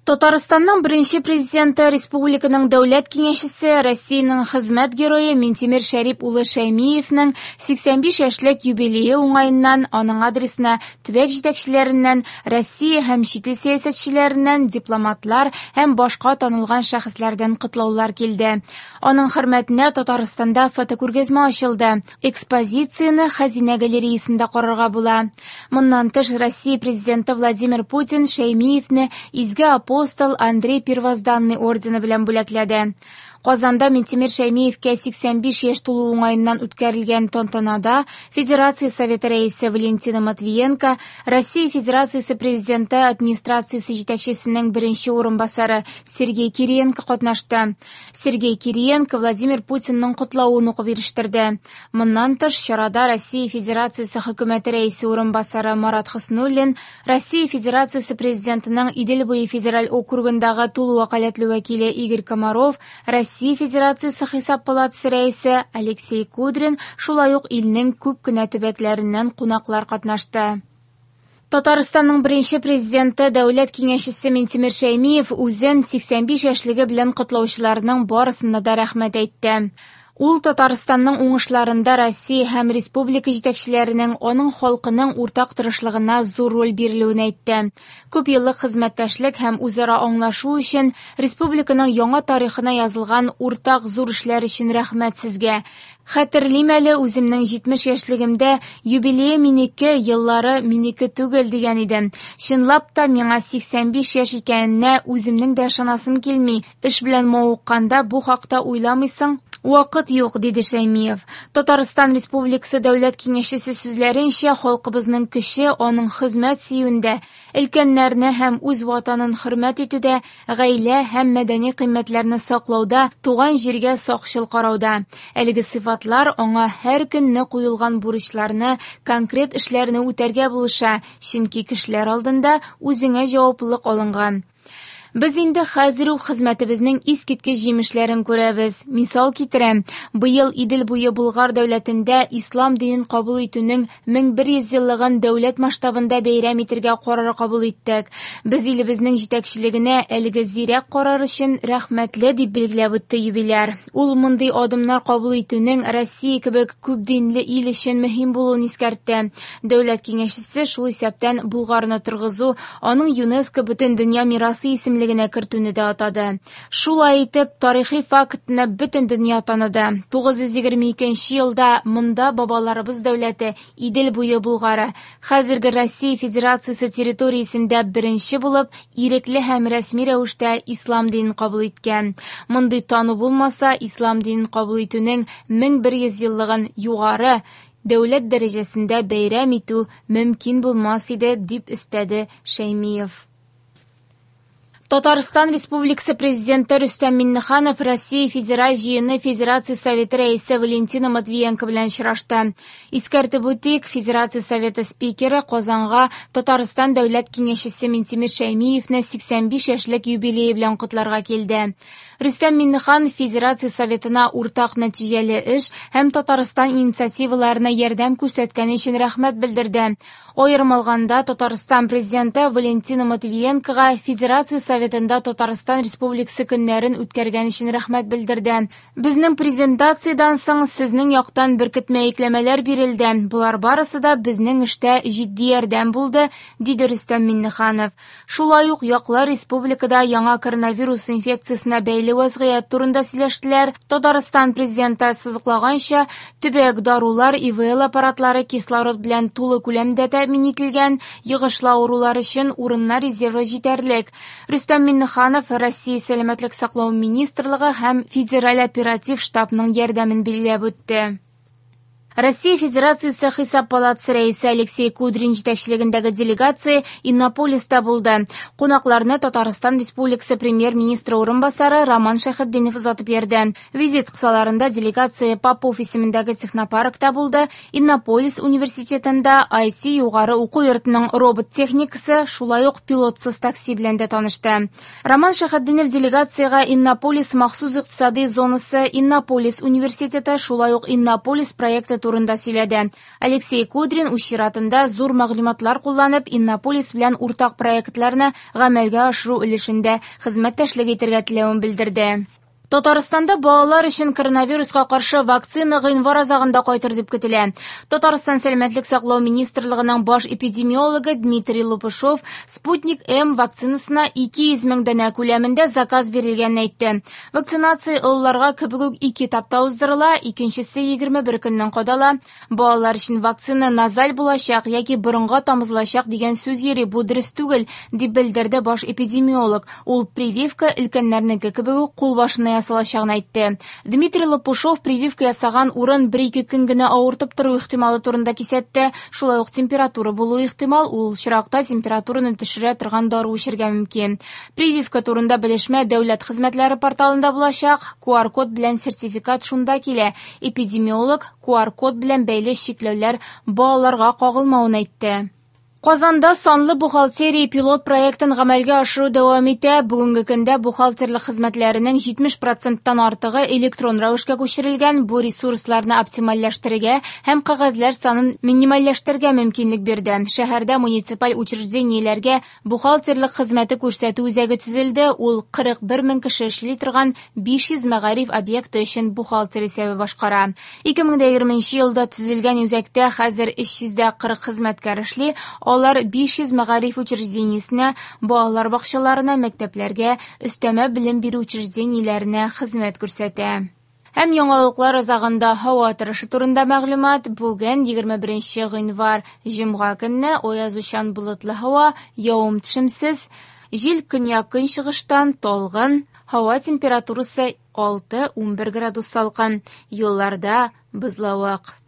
Татарстанның беренче президенты, республиканың дәүләт киңәшчесе, Россиянең хезмәт герое Минтимер Шәрип улы Шәймиевнең 85 яшьлек юбилее уңаеннан аның адресына төбәк җитәкчеләреннән, Россия һәм чит ил сәясәтчеләреннән, дипломатлар һәм башка танылган шәхесләрдән котлаулар килде. Аның хөрмәтенә Татарстанда фотокүргәзмә ачылды. Экспозицияне Хәзинә галереясында карарга була. Моннан тыш, Россия президенты Владимир Путин Шәймиевне Изге апостол Андрей Первозданный ордены белән бүләкләде. Казанда Минтимер Шәймиевкә 85 яшь тулу уңаеннан үткәрелгән тантанада Федерация Советы рәисе Валентина Матвиенко, Россия Федерациясе Президенты администрациясе җитәкчесенең беренче урынбасары Сергей Кириенко катнашты. Сергей Кириенко Владимир Путинның котлавын укып ирештерде. Моннан тыш, чарада Россия Федерациясе Хөкүмәте рәисе урынбасары Марат Хөснуллин, Россия Федерациясе Президентының Идел буе федераль округындагы тулы вәкаләтле вәкиле Игорь Комаров, Россия Федерациясе Хисап палатасы рәисе Алексей Кудрин, шулай ук илнең күп кенә төбәкләреннән кунаклар катнашты. Татарстанның беренче президенты, дәүләт киңәшчесе Минтимер Шәймиев үзен 85 яшьлеге белән котлаучыларның барысына да рәхмәт әйтте. Ул Татарстанның уңышларында Россия һәм республика җитәкчеләренең, аның халкының уртак тырышлыгына зур роль бирелүен әйтте. Күп еллык хезмәттәшлек һәм үзара аңлашу өчен республиканың яңа тарихына язылган уртак зур эшләр өчен рәхмәт сезгә. Хәтерлим әле, үземнең 70 яшьлегемдә юбилее минеке, еллары минеке түгел дигән идем. Чынлап та миңа 85 яшь икәненә үземнең дә ышанасым килми. Эш белән мавыкканда бу хакта уйламыйсың, вакыт юк, диде Шәймиев. Татарстан Республикасы Дәүләт Киңәшчесе сүзләренчә, халкыбызның көче аның хезмәт сөюендә, өлкәннәрне һәм үз ватанын хөрмәт итүдә, гаилә һәм мәдәни кыйммәтләрне саклауда, туган җиргә сакчыл карауда. Әлеге сыйфатлар аңа һәр көнне куелган бурычларны, конкрет эшләрне үтәргә булыша, чөнки кешеләр алдында үзеңә җаваплылык алынган. Без инде хәзер үк хезмәтебезнең искиткеч җимешләрен күрәбез. Мисал китерәм, быел Идел буе Болгар дәүләтендә ислам динен кабул итүнең 1100 еллыгын дәүләт масштабында бәйрәм итәргә карар кабул иттек. Без илебезнең җитәкчелегенә әлеге зирәк карар өчен рәхмәтле, дип билгеләп үтте юбиляр. Ул мондый адымнар кабул итүнең Россия кебек күп динле ил өчен мөһим булуын искәртте. Дәүләт киңәшчесе шул исәптән Болгарны торгызу, аның ЮНЕСКО Бөтендөнья мирасы исемлегенә кертүне дә атады. Шулай итеп, тарихи фактны бөтен дөнья таныды. 922 елда монда бабаларыбыз дәүләте Идел буе Болгары, хәзерге Россия Федерациясе территориясендә беренче булып, ирекле һәм рәсми рәвештә ислам динен кабул иткән. Мондый тану булмаса, ислам динен кабул итүнең 1100 еллыгын югары дәүләт дәрәҗәсендә бәйрәм итү мөмкин булмас иде, дип өстәде Шәймиев. Татарстан Республикасы Президенты Рөстәм Миңнеханов Россия Федераль Җыены Федерация Советы рәисе Валентина Матвиенко белән очрашты. Искәртеп үтик, Федерация Советы спикеры Казанга Татарстан Дәүләт Киңәшчесе Минтимер Шәймиевне 85 яшьлек юбилее белән котларга килде. Рөстәм Миңнеханов Федерация Советына уртак нәтиҗәле эш һәм Татарстан инициативаларына ярдәм күрсәткәне өчен рәхмәт белдерде. Аерым алганда, Татарстан Президенты Валентина Матвиенкога Федерация Советында Татарстан Республикасы көннәрен үткәргән өчен рәхмәт белдерде. Безнең презентациядән соң сезнең яктан беркетмә йөкләмәләр бирелде. Болар барысы да безнең эштә җитди ярдәм булды, диде Рөстәм Миңнеханов. Шулай ук яклар республикада яңа коронавирус инфекциясенә бәйле вазгыять турында сөйләштеләр. Татарстан президенты ассызыклаганча, төбәк дарулар, ИВЛ аппаратлары кислород белән тулы күләмдә тәэмин ителгән, йогышлы авырулар өчен урыннар резервы җитәрлек. Рөстәм Миңнеханов Россия Сәламәтлек саклау министрлыгы һәм Федераль оператив штабның ярдәмен билгеләп үтте. Россия Федерациясе Хисап палатасы рәисе Алексей Кудрин җитәкчелегендәге делегация Иннополиста булды. Кунакларны Татарстан Республикасы премьер-министры урынбасары Роман Шәйхетдинов озатып йөрде. Визит кысаларында делегация Попов исемендәге технопаркта булды. Иннополис университетында IC югары уку йортының робот техникасы, шулай ук пилотсыз такси белән дә танышты. Роман Шәйхетдинов делегациягә Иннополис махсус икътисади зонасы, Иннополис университеты, шулай ук Иннополис проекты турында сөйләде. Алексей Кудрин үз чиратында зур мәгълүматлар кулланып Иннополис белән уртак проектларны гамәлгә ашыру өлешендә хезмәттәшлек итәргә теләвен белдерде. Татарстанда балалар өчен коронавируска каршы вакцина гыйнвар азагында кайтыр дип көтелә. Татарстан сәламәтлек саклау министрлыгының баш эпидемиологы Дмитрий Лопушов Спутник М вакцинасына 200 мең данә күләмендә заказ бирелгәнен әйтте. Вакцинация олыларга кебек үк ике этапта уздырыла, икенчесе 21 көннән кадала. Балалар өчен вакцина назаль булачак яки борынга тамызылачак дигән сүз йөри, бу дөрес түгел, дип белдерде баш эпидемиолог. Ул прививка өлкәннәрнеке кебек үк кулбашына ясалачагын әйтте. Дмитрий Лопушов прививка ясаган урын 1-2 көн генә авыртып тору ихтималы турында кисәтте. Шулай ук температура булу ихтимал, ул очракта температураны төшерә торган дару эчәргә мөмкин. Прививка турында белешмә дәүләт хезмәтләре порталында булачак. QR-код белән сертификат шунда килә. Эпидемиолог QR-код белән бәйле чикләүләр балаларга кагылмавын әйтте. Казанда санлы бухгалтерия пилот проектын гамәлгә ашыру дәвам итә. Бүгенге көндә бухгалтерлык хезмәтләренең 70%-тан артыгы электрон рәвешкә күчерелгән. Бу ресурсларны оптимальләштерергә һәм кәгазьләр санын минимальләштерергә мөмкинлек бирде. Шәһәрдә муниципаль учреждениеләргә бухгалтерлык хезмәте күрсәтү үзәге төзелде. Ул 41 мең кеше эшли торган 500 мәгариф объекты өчен бухгалтер исәбе башкара. 2020 елда төзелгән үзәктә хәзер 340 хезмәткәр эшли. Алар 500 мәгариф учреждениесенә, балалар бакчаларына, мәктәпләргә, өстәмә белем бирү учреждениеләренә хезмәт күрсәтә. Һәм яңалыклар азагында һава торышы турында мәгълүмат. Бүген 21 гыйнвар җомга көнне аязучан болытлы һава, явым-төшемсез, җил көньяк-көнчыгыштан талгын, һава температурасы 6-11 градус салкын, юлларда бозлавык.